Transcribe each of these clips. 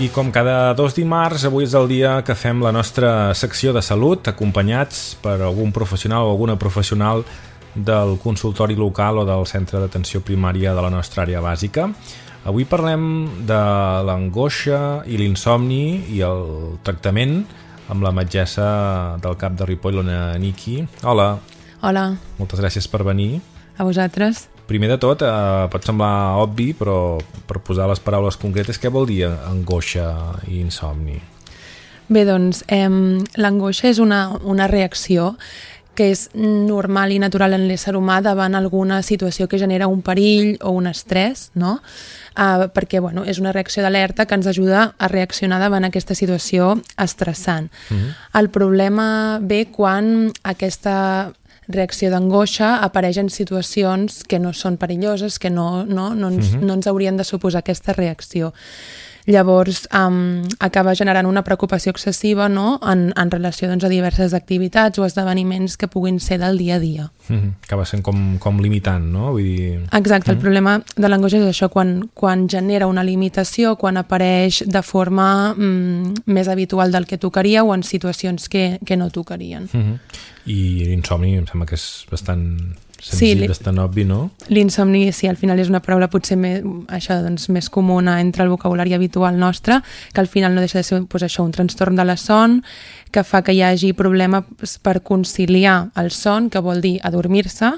I com cada 2 dimarts, avui és el dia que fem la nostra secció de salut, acompanyats per algun professional o alguna professional del consultori local o del centre d'atenció primària de la nostra àrea bàsica. Avui parlem de l'angoixa i l'insomni i el tractament amb la metgessa del CAP de Ripoll, l'Ona Niki. Hola. Hola. Moltes gràcies per venir. A vosaltres. Primer de tot, pot semblar obvi, però per posar les paraules concretes, què vol dir angoixa i insomni? Bé, doncs, l'angoixa és una reacció que és normal i natural en l'ésser humà davant alguna situació que genera un perill o un estrès, no? Perquè és una reacció d'alerta que ens ajuda a reaccionar davant aquesta situació estressant. El problema ve quan aquesta reacció d'angoixa apareix en situacions que no són perilloses, que no ens haurien de suposar aquesta reacció. Llavors, acaba generant una preocupació excessiva, no?, en relació a diverses activitats o esdeveniments que puguin ser del dia a dia. Acaba sent com limitant, no? Vull dir... Exacte, el problema de l'angoixa és això, quan genera una limitació, quan apareix de forma més habitual del que tocaria o en situacions que no tocarien. I l'insomni em sembla que és bastant senzill, bastant obvi, no? L'insomni, sí, al final és una paraula potser més comuna entre el vocabulari habitual nostre, que al final no deixa de ser un trastorn de la son, que fa que hi hagi problemes per conciliar el son, que vol dir adormir-se,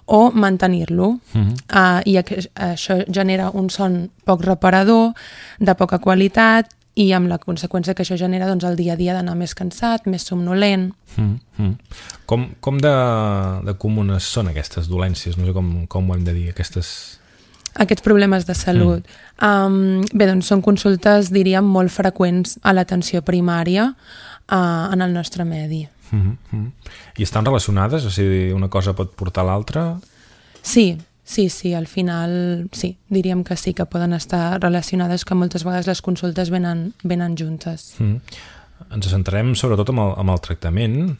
o mantenir-lo. I això genera un son poc reparador, de poca qualitat, i amb la conseqüència que això genera el dia a dia d'anar més cansat, més somnolent. Com de comunes són aquestes dolències? No sé com ho hem de dir, Aquests problemes de salut. Bé, doncs són consultes, diríem, molt freqüents a l'atenció primària en el nostre medi. I estan relacionades? O sigui, una cosa pot portar a l'altra? Sí, al final sí, diríem que sí, que poden estar relacionades, que moltes vegades les consultes venen juntes. Ens centrarem sobretot amb el tractament,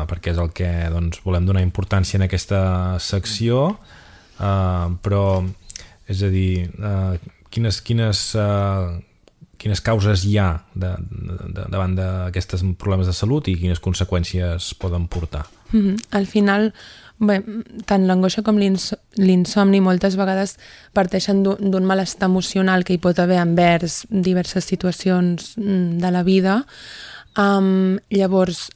perquè és el que volem donar importància en aquesta secció, però, és a dir, quines causes hi ha davant d'aquests problemes de salut i quines conseqüències poden portar? Al final, bé, tant l'angoixa com l'insomni moltes vegades parteixen d'un malestar emocional que hi pot haver envers diverses situacions de la vida. Llavors,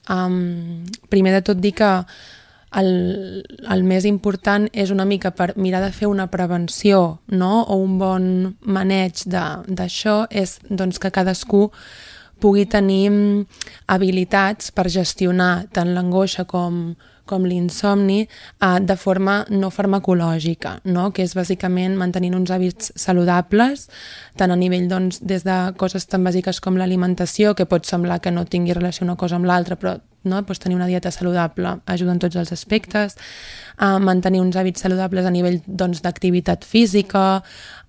primer de tot dir que el més important és una mica per mirar de fer una prevenció, no?, o un bon maneig d'això, és que cadascú pugui tenir habilitats per gestionar tant l'angoixa com l'insomni de forma no farmacològica, no?, que és bàsicament mantenint uns hàbits saludables, tant a nivell des de coses tan bàsiques com l'alimentació, que pot semblar que no tingui relació una cosa amb l'altra, però tenir una dieta saludable ajuda en tots els aspectes, mantenir uns hàbits saludables a nivell d'activitat física,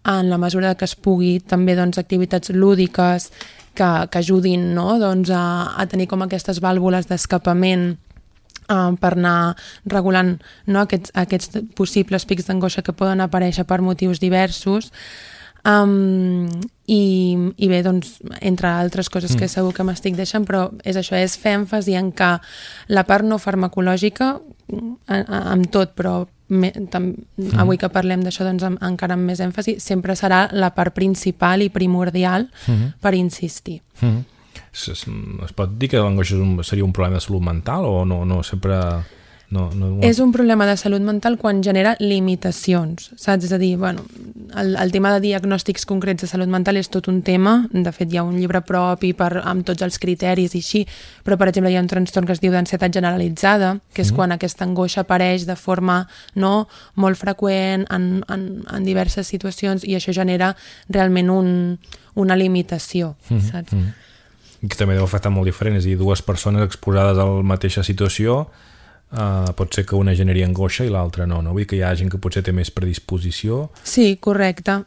en la mesura que es pugui, també activitats lúdiques que ajudin, no?, a tenir com aquestes vàlvules d'escapament per anar regulant, no?, aquests possibles pics d'angoixa que poden aparèixer per motius diversos. I bé, entre altres coses que segur que m'estic deixant, però és això, és fer èmfasi en que la part no farmacològica, amb tot, però avui que parlem d'això encara amb més èmfasi, sempre serà la part principal i primordial per insistir. Es pot dir que l'angoixa seria un problema de salut mental o no sempre... És un problema de salut mental quan genera limitacions, saps? És a dir, el tema de diagnòstics concrets de salut mental és tot un tema, de fet hi ha un llibre propi amb tots els criteris i així, però per exemple hi ha un trastorn que es diu d'ansietat generalitzada, que és quan aquesta angoixa apareix de forma molt freqüent en diverses situacions i això genera realment una limitació, saps? Que també deu afectar molt diferent, és a dir, dues persones exposades a la mateixa situació, pot ser que una generi angoixa i l'altra no? Vull dir que hi ha gent que potser té més predisposició. Sí, correcte.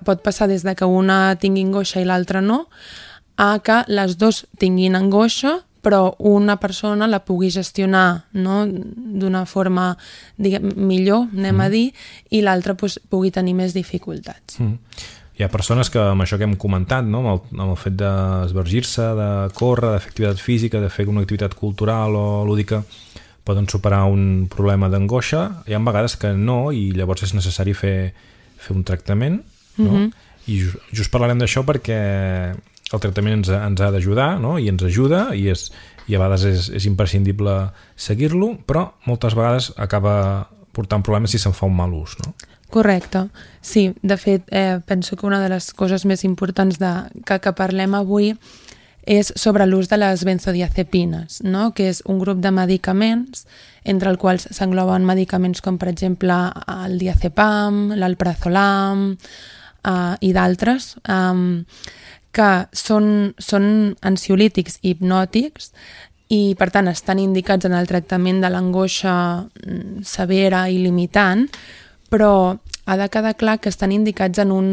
Pot passar des de que una tingui angoixa i l'altra no, a que les dues tinguin angoixa, però una persona la pugui gestionar, no?, d'una forma millor, anem a dir, i l'altra pugui tenir més dificultats. Hi ha persones que, amb això que hem comentat, no? Amb el fet d'esvergir-se, de córrer, de fer activitat física, de fer una activitat cultural o lúdica, poden superar un problema d'angoixa. Hi ha vegades que no, i llavors és necessari fer un tractament, no? I just parlarem d'això perquè el tractament ens ha d'ajudar, no? I ens ajuda, i a vegades és imprescindible seguir-lo, però moltes vegades acaba portant problemes si se'n fa un mal ús, no? Correcte. Sí, de fet, penso que una de les coses més importants que parlem avui és sobre l'ús de les benzodiazepines, no? Que és un grup de medicaments entre els quals s'engloben medicaments com, per exemple, el diazepam, l'alprazolam i d'altres, que són ansiolítics i hipnòtics i, per tant, estan indicats en el tractament de l'angoixa severa i limitant, però ha de quedar clar que estan indicats en un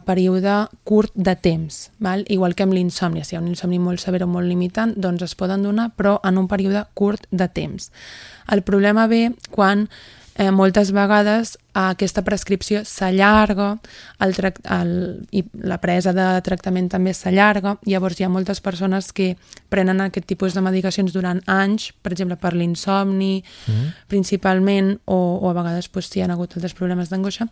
període curt de temps, val? Igual que amb l'insomni. Si hi ha un insomni molt sever o molt limitant, doncs es poden donar, però en un període curt de temps. El problema ve quan moltes vegades aquesta prescripció s'allarga, i la presa de tractament també s'allarga. Llavors hi ha moltes persones que prenen aquest tipus de medicacions durant anys, per exemple per l'insomni principalment, o a vegades si hi ha hagut altres problemes d'angoixa,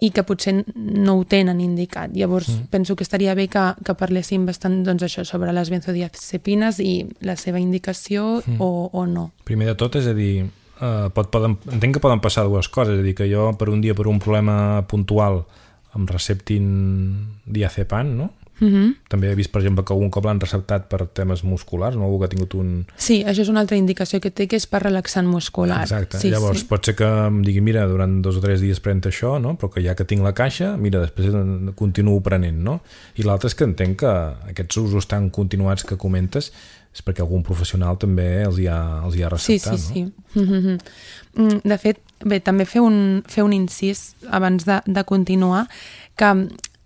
i que potser no ho tenen indicat. Llavors penso que estaria bé que parléssim bastant, doncs, això, sobre les benzodiazepines i la seva indicació o no. Primer de tot, és a dir, entenc que poden passar dues coses, és a dir, que jo per un dia, per un problema puntual, em receptin diazepam, no? També he vist, per exemple, que algun cop l'han receptat per temes musculars, no? Algú que ha tingut un... Sí, això és una altra indicació que té, que és per relaxant muscular. Exacte, sí, llavors pot ser que em digui, mira, durant 2 o 3 dies pren això, no? Però que ja que tinc la caixa, mira, després continuo prenent, no? I l'altre és que entenc que aquests usos tan continuats que comentes és perquè algun professional també els hi ha receptat, sí. De fet, bé, també fer un incís abans de continuar, que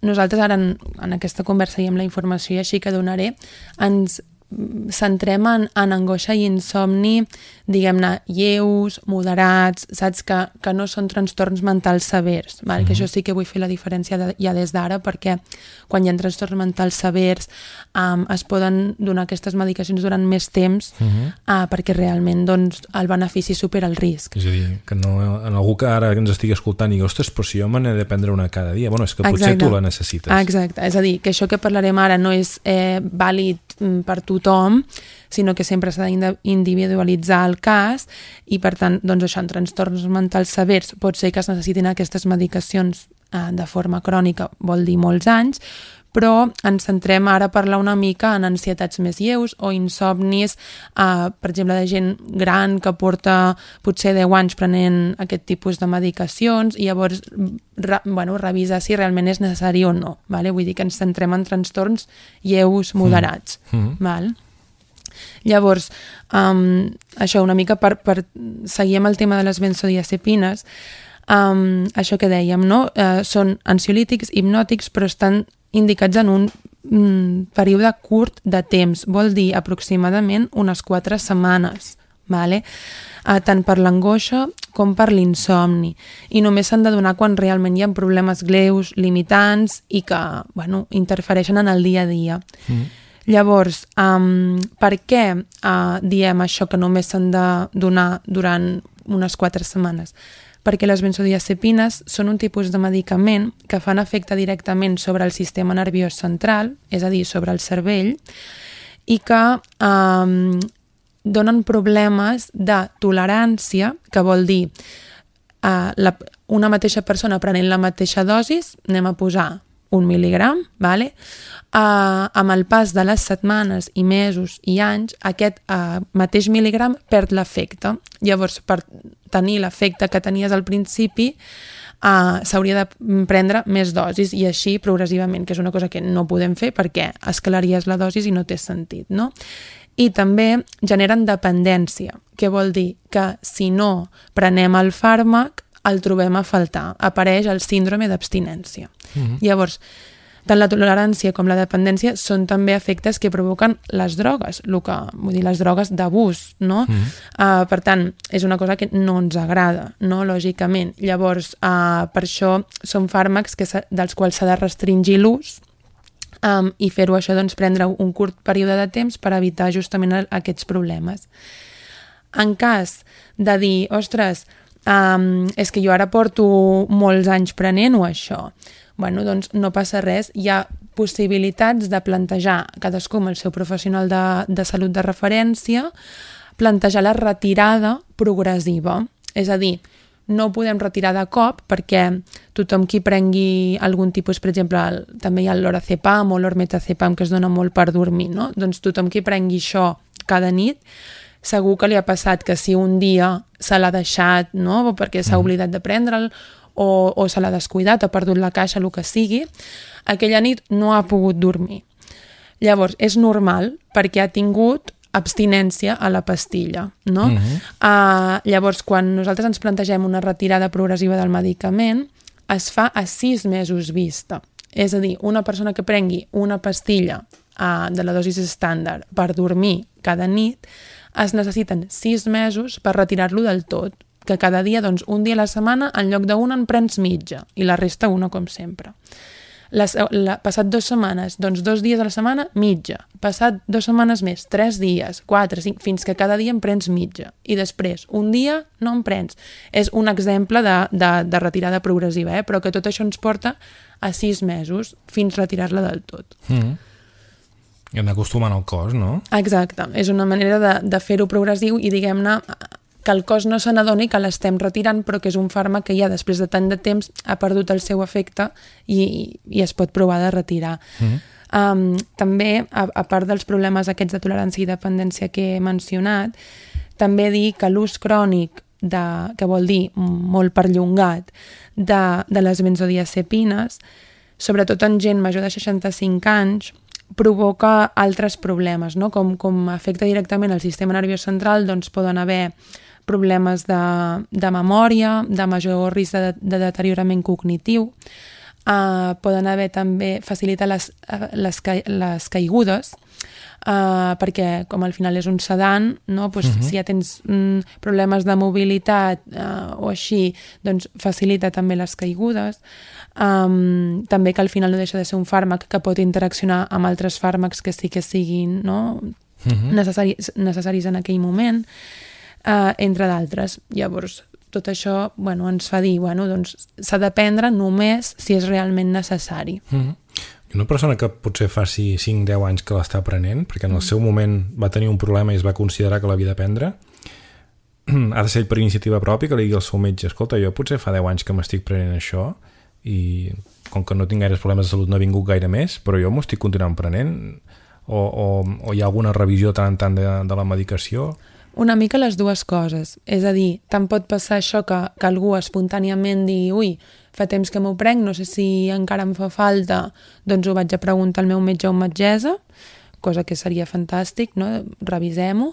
nosaltres ara en aquesta conversa i amb la informació i així que donaré, ens centrem en angoixa i insomni, diguem-ne, lleus, moderats, saps? Que no són trastorns mentals severs, val? Que això sí que vull fer la diferència ja des d'ara, perquè quan hi ha trastorns mentals severs es poden donar aquestes medicacions durant més temps perquè realment, doncs, el benefici supera el risc. És a dir, que no, en algú que ara ens estigui escoltant i digui, ostres, però si jo me n'he de prendre una cada dia, bueno, és que potser tu la necessites. Exacte, és a dir, que això que parlarem ara no és vàlid per tothom, sinó que sempre s'ha d'individualitzar el cas i, per tant, doncs això, en trastorns mentals severs pot ser que es necessitin aquestes medicacions de forma crònica, vol dir molts anys, però ens centrem ara a parlar una mica en ansietats més lleus o insomnis, per exemple, de gent gran que porta potser 10 anys prenent aquest tipus de medicacions i llavors revisar si realment és necessari o no. Vale? Vull dir que ens centrem en trastorns lleus, moderats. Val? Llavors, això una mica per seguir amb el tema de les benzodiazepines, això que dèiem, no? Són ansiolítics, hipnòtics, però estan indicats en un període curt de temps, vol dir aproximadament unes 4 setmanes, vale? Tant per l'angoixa com per l'insomni, i només s'han de donar quan realment hi ha problemes greus, limitants i que interfereixen en el dia a dia. Llavors, per què diem això, que només s'han de donar durant unes 4 setmanes? Perquè les benzodiazepines són un tipus de medicament que fan efecte directament sobre el sistema nerviós central, és a dir, sobre el cervell, i que donen problemes de tolerància, que vol dir una mateixa persona prenent la mateixa dosis, anem a posar 1 mil·ligram, vale? Amb el pas de les setmanes i mesos i anys, aquest mateix mil·ligram perd l'efecte. Llavors, per tenir l'efecte que tenies al principi, s'hauria de prendre més dosis i així progressivament, que és una cosa que no podem fer perquè escalaries la dosis i no té sentit, no? I també generen dependència, que vol dir que si no prenem el fàrmac el trobem a faltar, apareix el síndrome d'abstinència. Llavors, tant la tolerància com la dependència són també efectes que provoquen les drogues, vull dir, les drogues d'abús, no? Per tant, és una cosa que no ens agrada, no? Lògicament. Llavors, per això són fàrmacs dels quals s'ha de restringir l'ús i fer-ho això, doncs, prendre un curt període de temps per evitar justament aquests problemes. En cas de dir, ostres, és que jo ara porto molts anys prenent-ho això, bueno, doncs no passa res, hi ha possibilitats de plantejar, cadascú amb el seu professional de salut de referència, plantejar la retirada progressiva, és a dir, no ho podem retirar de cop perquè tothom qui prengui algun tipus, per exemple, també hi ha l'orazepam o l'ormetazepam que es dona molt per dormir, no? Doncs tothom qui prengui això cada nit, segur que li ha passat que si un dia se l'ha deixat, no? O perquè s'ha oblidat de prendre'l o se l'ha descuidat, ha perdut la caixa, el que sigui, aquella nit no ha pogut dormir. Llavors, és normal perquè ha tingut abstinència a la pastilla, no? Llavors, quan nosaltres ens plantegem una retirada progressiva del medicament, es fa a 6 mesos vista. És a dir, una persona que prengui una pastilla de la dosi estàndard per dormir cada nit, es necessiten 6 mesos per retirar-lo del tot, que cada dia, doncs, un dia a la setmana, en lloc d'una en prens mitja, i la resta una, com sempre. Passat 2 setmanes, doncs 2 dies a la setmana, mitja. Passat 2 setmanes més, 3 dies, 4, 5, fins que cada dia en prens mitja. I després, un dia no en prens. És un exemple de retirada progressiva, però que tot això ens porta a 6 mesos fins retirar-la del tot. I anar acostumant al cos, no? Exacte. És una manera de fer-ho progressiu i, diguem-ne, que el cos no se n'adoni que l'estem retirant, però que és un fàrmac que ja després de tant de temps ha perdut el seu efecte i es pot provar de retirar. També, a part dels problemes aquests de tolerància i dependència que he mencionat, també dir que l'ús crònic, que vol dir molt perllongat, de les benzodiazepines, sobretot en gent major de 65 anys, provoca altres problemes, no? Com afecta directament el sistema nerviós central, doncs poden haver problemes de memòria, de major risc de deteriorament cognitiu, poden haver també facilitar les caigudes, perquè com al final és un sedant, no? Pues, si ja tens problemes de mobilitat o així, doncs facilita també les caigudes. També que al final no deixa de ser un fàrmac que pot interaccionar amb altres fàrmacs que sí que siguin, no? necessaris en aquell moment, entre d'altres. Llavors, tot això ens fa dir, doncs s'ha de prendre només si és realment necessari. Una persona que potser faci 5-10 anys que l'està prenent, perquè en el seu moment va tenir un problema i es va considerar que l'havia de prendre, ha de ser per iniciativa pròpia, que li digui al seu metge, escolta, jo potser fa 10 anys que m'estic prenent això i com que no tinc gaires problemes de salut no ha vingut gaire més, però jo m'ho estic continuant prenent, o hi ha alguna revisió tant en tant de la medicació? Una mica les dues coses, és a dir, tant pot passar això que algú espontàniament digui ui, fa temps que m'ho prenc, no sé si encara em fa falta, doncs ho vaig a preguntar al meu metge o metgessa, cosa que seria fantàstic, no? Revisem-ho,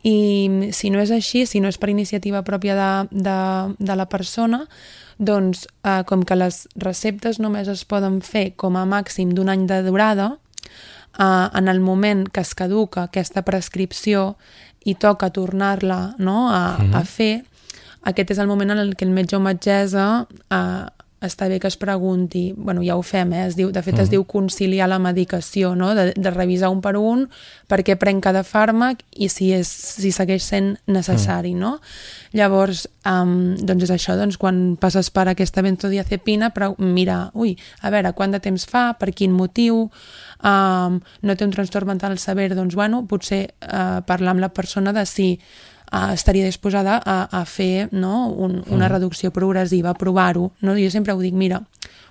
i si no és així, si no és per iniciativa pròpia de la persona, doncs com que les receptes només es poden fer com a màxim d'un any de durada, en el moment que es caduca aquesta prescripció i toca tornar-la, no, a fer, aquest és el moment en què el metge o metgessa està bé que es pregunti, ja ho fem, de fet es diu conciliar la medicació, no? de revisar un per un per què prenc cada fàrmac i si segueix sent necessari, no? Llavors, doncs és això, quan passes per aquesta benzodiazepina, mira, a veure, quant de temps fa, per quin motiu, no té un trastorn mental sever, doncs potser parlar amb la persona de si estaria disposada a fer, no, una reducció progressiva, a provar-ho. No? Jo sempre ho dic, mira,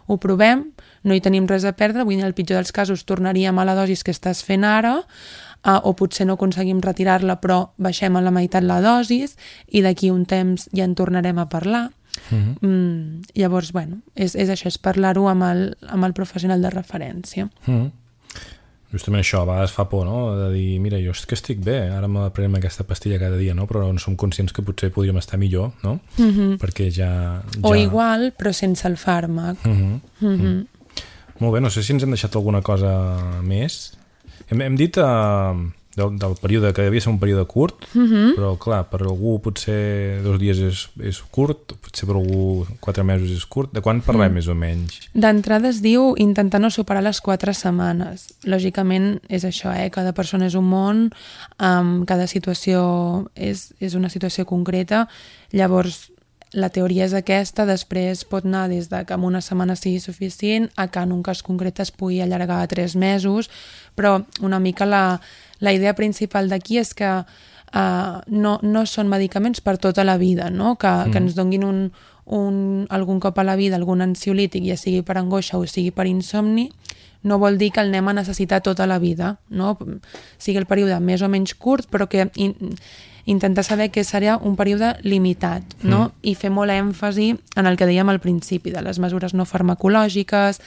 ho provem, no hi tenim res a perdre, vull dir, en el pitjor dels casos tornaríem a la dosi que estàs fent ara, o potser no aconseguim retirar-la però baixem a la meitat la dosi i d'aquí un temps ja en tornarem a parlar. Llavors, és això, és parlar-ho amb el professional de referència. Justament això, a vegades fa por, no? De dir, mira, jo és que estic bé, ara me prenem aquesta pastilla cada dia, no? Però no som conscients que potser podríem estar millor, no? Perquè ja... O igual, però sense el fàrmac. Molt bé, no sé si ens hem deixat alguna cosa més. Hem dit del període, que devia ser un període curt, però clar, per algú potser 2 dies és curt, potser per algú 4 mesos és curt. De quan parlem més o menys? D'entrada es diu intentar no superar les 4 setmanes. Lògicament és això, cada persona és un món, cada situació és una situació concreta, llavors la teoria és aquesta, després pot anar des de que en una setmana sigui suficient a que en un cas concret es pugui allargar a 3 mesos, però una mica la idea principal d'aquí és que no són medicaments per tota la vida, no? Que ens donguin algun cop a la vida algun ansiolític, ja sigui per angoixa o sigui per insomni, no vol dir que el anem a necessitar tota la vida, no? Sigui el període més o menys curt, però que intentar saber que serà un període limitat, no? I fer molt èmfasi en el que dèiem al principi, de les mesures no farmacològiques,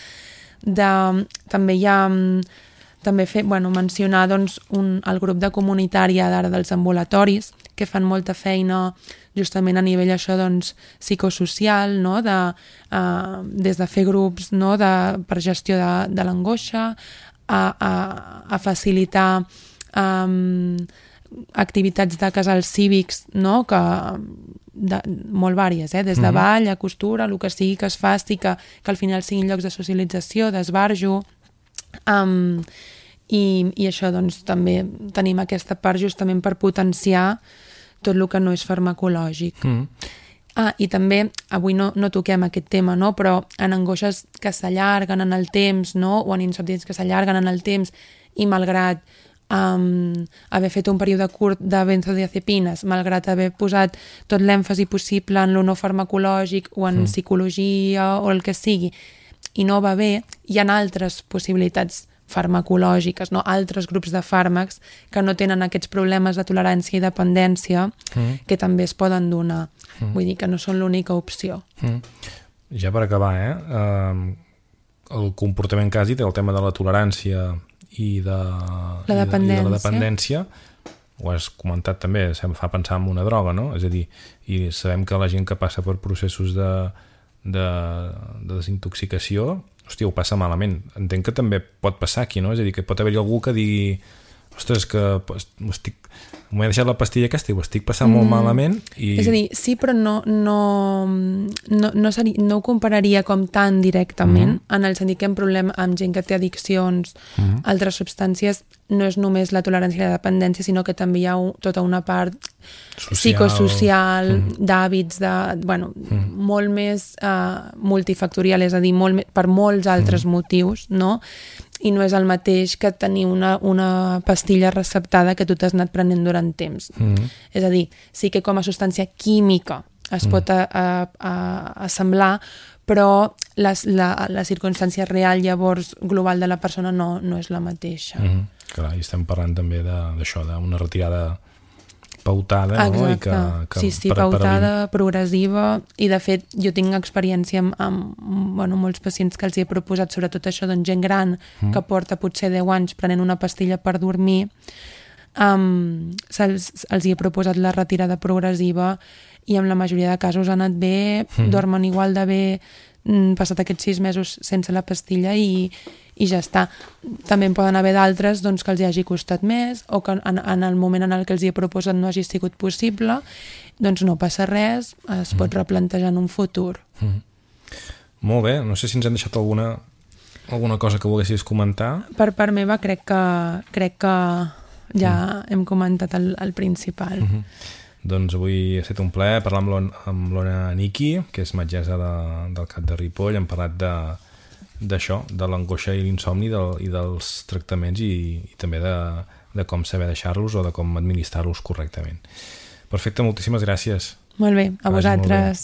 mencionar doncs, el grup de comunitària d'ara dels ambulatoris, que fan molta feina justament a nivell això, doncs, psicosocial, no? Des de fer grups, no? Per gestió de l'angoixa, a facilitar activitats de casals cívics, no? Molt vàries, des de ball a costura, el que sigui que es faci, que al final siguin llocs de socialització, d'esbarjo, i això doncs també tenim aquesta part justament per potenciar tot el que no és farmacològic. I també, avui no toquem aquest tema, no? Però en angoixes que s'allarguen en el temps, no? O en insomnis que s'allarguen en el temps, i malgrat haver fet un període curt de benzodiazepines, malgrat haver posat tot l'èmfasi possible en lo no farmacològic o en psicologia o el que sigui, i no va bé, hi ha altres possibilitats farmacològiques, no? Altres grups de fàrmacs que no tenen aquests problemes de tolerància i dependència que també es poden donar. Vull dir que no són l'única opció. Ja per acabar, el comportament que has dit, el tema de la tolerància i de la dependència, ho has comentat també, em fa pensar en una droga, no? És a dir, i sabem que la gent que passa per processos de desintoxicació, hòstia, ho passa malament. Entenc que també pot passar aquí, no? És a dir, que pot haver-hi algú que digui ostres, que m'he deixat la pastilla aquesta i ho estic passant molt malament. És a dir, sí, però no ho compararia com tan directament, en el sentit que hi ha un problema amb gent que té addiccions, altres substàncies, no és només la tolerància i la dependència, sinó que també hi ha tota una part psicosocial, d'hàbits, molt més multifactorial, és a dir, per molts altres motius, no? I no és el mateix que tenir una pastilla receptada que tu t'has anat prenent durant temps. És a dir, sí que com a substància química es pot assemblar, però la circumstància real, llavors, global de la persona no és la mateixa. Clar, i estem parlant també d'això, d'una retirada pautada, no? Exacte. Sí, pautada, progressiva, i de fet jo tinc experiència amb molts pacients que els hi he proposat sobretot això, doncs gent gran que porta potser 10 anys prenent una pastilla per dormir, els hi he proposat la retirada progressiva i en la majoria de casos ha anat bé, dormen igual de bé, passat aquests 6 mesos sense la pastilla i ja està. També en poden haver d'altres doncs, que els hi hagi costat més o que en el moment en el que els hi he proposat no hagi sigut possible, doncs no passa res, es pot replantejar en un futur. Molt bé, no sé si ens hem deixat alguna cosa que volguessis comentar. Per part meva crec que ja hem comentat el principal. Doncs avui ha estat un plaer parlar amb l'Ona Niki, que és metgessa del CAP de Ripoll. Hem parlat d'això, de l'angoixa i l'insomni i dels tractaments i també de com saber deixar-los o de com administrar-los correctament. Perfecte, moltíssimes gràcies. Molt bé, a vosaltres.